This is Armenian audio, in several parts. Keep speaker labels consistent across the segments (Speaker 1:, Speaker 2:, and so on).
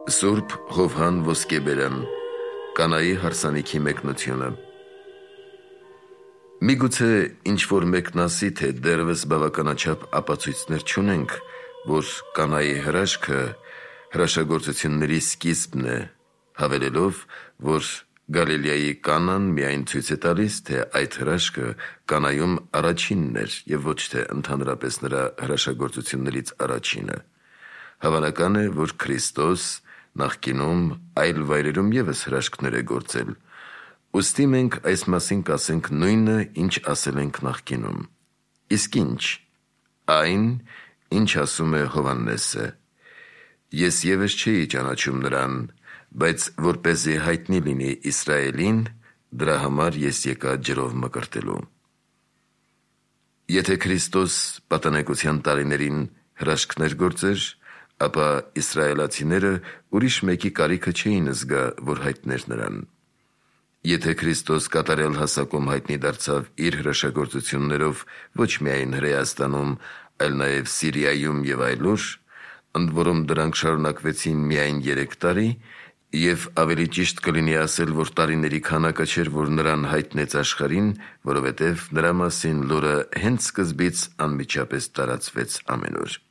Speaker 1: Սուրբ Հովհան Ոսկեբերյան Կանայի հարսանիքի մեկնությունը։ Միգուցե ինչ-որ մեկն ասի, թե դեռևս բավականաչափ ապացույցներ չունենք, որ Կանայի հրաշքը հրաշագործությունների սկիզբն է, հավելելով, որ Գալիլեայի Կանան միայն ցույց է տալիս, թե այդ հրաշքը Կանայում առաջինն էր և ոչ թե ընդհանրապես նրա հրաշագործություններից առաջինը։ Հավանական է, որ Քրիստոս նախկինում այլ վայրերում ևս հրաշքներ է գործել, ուստի մենք այս մասին կասենք նույնը, ինչ ասել ենք նախկինում։ Իսկ ինչ? Այն, ինչ ասում է Հովհաննեսը. «Ես ևս չէի ճանաչում նրան, բայց որպեսզի հայտնի լինի Իսրայելին, դրա համար ես եկա ջրով մկրտելու»։ Եթե Քրիստոս պատանեկության տարիներին հրաշքներ գործեր, ապա իսրայելացիները ուրիշ մեկի կարիքը չէին զգա, որ հայտներ նրան։ Եթե Քրիստոս կատարյալ հասակում հայտնի դարձավ իր հրաշագործություններով ոչ միայն Հրեաստանում, այլ նաև Սիրիայում և այլուր, ընդ որում դրանք շարունակվեցին միայն 3 տարի, և ավելի ճիշտ կլինի ասել, որ տարիների քանակը չէր, որ նրան հայտնեց աշխարհին, որովհետև նրա մասին լուրը հենց սկզբից անմիջապես տարածվեց ամենուր։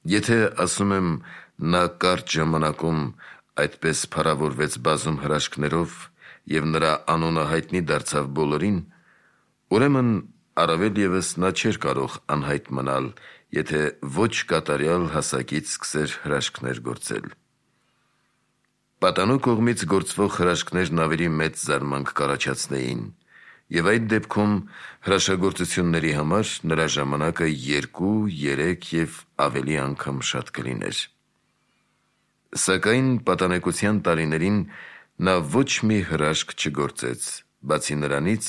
Speaker 1: Եթե ասում եմ, նա կարճ ժամանակում այդպես փառավորվեց բազում հրաշքներով և նրա անունը հայտնի դարձավ բոլորին, ուրեմն առավել ևս նա չէր կարող անհայտ մնալ, եթե ոչ կատարյալ հասակից սկսեր հրաշքներ գործել։ Պատանու կողմից գործվող հրաշքներն ավելի մեծ զարմանք կառաջացնեին, և այդ դեպքում հրաշագործությունների համար նրա ժամանակը 2, 3 և ավելի անգամ շատ կլիներ։ Սակայն պատանեկության տարիներին նա ոչ մի հրաշք չգործեց, բացի նրանից,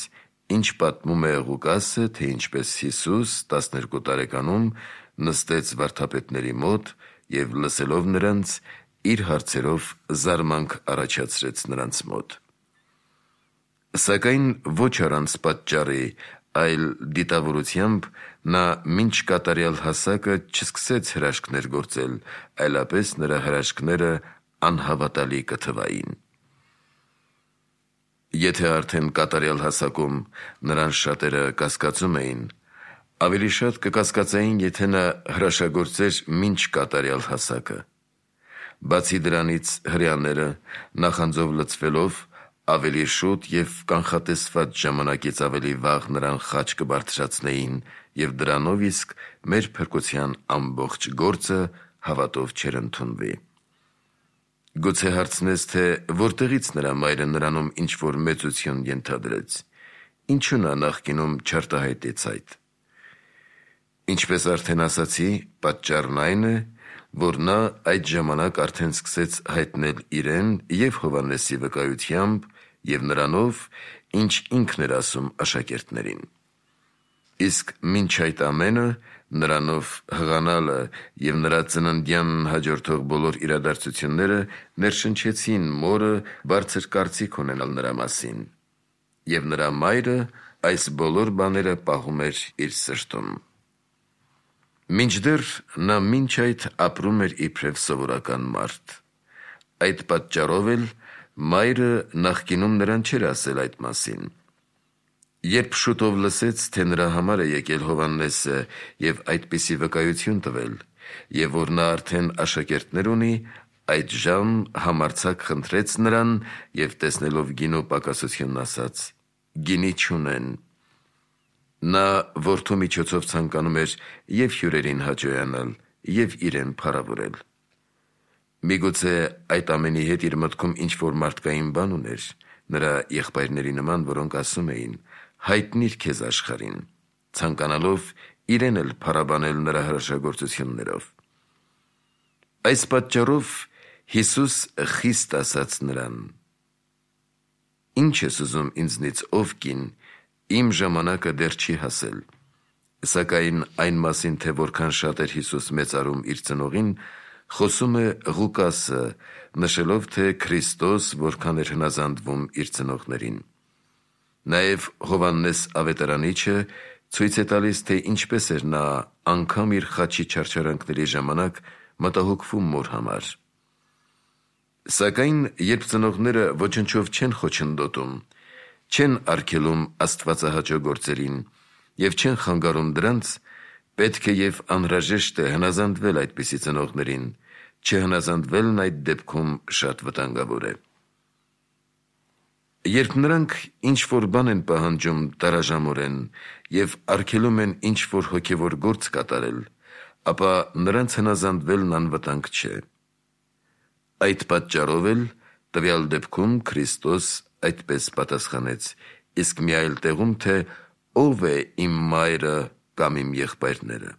Speaker 1: ինչ պատմում է Ղուկասը, թե ինչպես Հիսուս 12 տարեկանում նստեց վարդապետների մոտ և լսելով նրանց, իր հարցերով զարմանք առաջացրեց նրանց մոտ։ Սակայն ոչ առանց պատճառի, այլ դիտավորությամբ նա մինչ կատարյալ հասակը չսկսեց հրաշքներ գործել, այլապես նրա հրաշքները անհավատալի կթվային։ Եթե արդեն կատարյալ հասակում նրան շատերը կասկածում էին, ավելի շատ կկասկածեին, եթե նա հրաշագործեր մինչ կատարյալ հասակը։ Բացի դրանից, հրեաները նախանձով լցվելով ավելի շուտ և կանխատեսված ժամանակից ավելի վաղ նրան խաչ կբարձրացնեին և դրանով իսկ մեր փրկության ամբողջ գործը հավատով չէր ընդունվի։ Գուցե հարցնես, թե որտեղից նրա մայրը նրանում ինչ-որ մեծություն ենթադրեց, ինչու նա նախկինում չարտահայտեց այդ։ Ինչպես արդեն ասացի, պատճառն այն է, որ նա այդ ժամանակ արդեն սկսեց հայտնել իրեն և Հովհաննեսի վկայությամբ և նրանով, ինչ ինքն էր ասում աշակերտներին։ Իսկ մինչ այդ ամենը, նրանով հղանալը և նրա ծննդյանն հաջորդող բոլոր իրադարձությունները ներշնչեցին մորը բարձր կարծիք ունենալ նրա մասին, և նրա մայրը այս բոլոր բաները պահում էր իր սրտում։ Մինչդեռ նա մինչ այդ ապրում էր իբրև սովորական մարդ։ Այդ պատճառով էլ մայրը նախկինում նրան չէր ասել այդ մասին։ Երբ շուտով լսեց, թե նրա համար է եկել Հովհաննեսը և այդպիսի վկայություն տվել, և որ նա արդեն աշակերտներ ունի, այդժամ համարձակ խնդրեց նրան և տեսնելով գինու պակասությունն ասաց. «Գինի չունեն»։ Նա որդու միջոցով ցանկանում էր և հյուրերին հաճոյանալ, և իրեն փառավորել։ Միգուցե այդ ամենի հետ իր մտքում ինչ-որ մարդկային բան ուներ, նրա եղբայրների նման, որոնք ասում էին. «Հայտնի՛ր քեզ աշխարհին», ցանկանալով իրեն էլ փառաբանել նրա հրաշագործություններով։ Այս պատճառով Հիսուս խիստ ասաց նրան. «Ի՞նչ ես ուզում ինձնից, ով կին, իմ ժամանակը դեռ չի հասել»։ Սակայն այն մասին, թե որքան շատ էր Հիսուս մեծարում իր ծնողին, խոսում է Ղուկասը, նշելով, թե Քրիստոս որքան էր հնազանդվում իր ծնողներին։ Նաև Հովհաննես Ավետարանիչը ցույց է տալիս, թե ինչպես էր նա անգամ իր խաչի չարչարանքների ժամանակ մտահոգվում մոր համար։ Սակայն երբ ծնողները ոչնչով չեն խոչընդոտում, չեն արգելում աստվածահաճո գործերին և չեն խանգարում դրանց, պետք է և անհրաժեշտ է հնազանդվել այդպիսի ծնողներին, չհնազանդվելն այդ դեպքում շատ վտանգավոր է։ Երբ նրանք ինչ-որ բան են պահանջում տարաժամորեն և արգելում են ինչ-որ հոգևոր գործ կատարել, ապա նրանց հնազանդվելն անվտանգ չէ։ Այդ պատճառով էլ տվյալ դեպքում Քրիստոս այդպես պատասխանեց, իսկ մի այլ տեղում, թե «Ո՞վ է իմ մայրը կամ իմ եղբայրները»։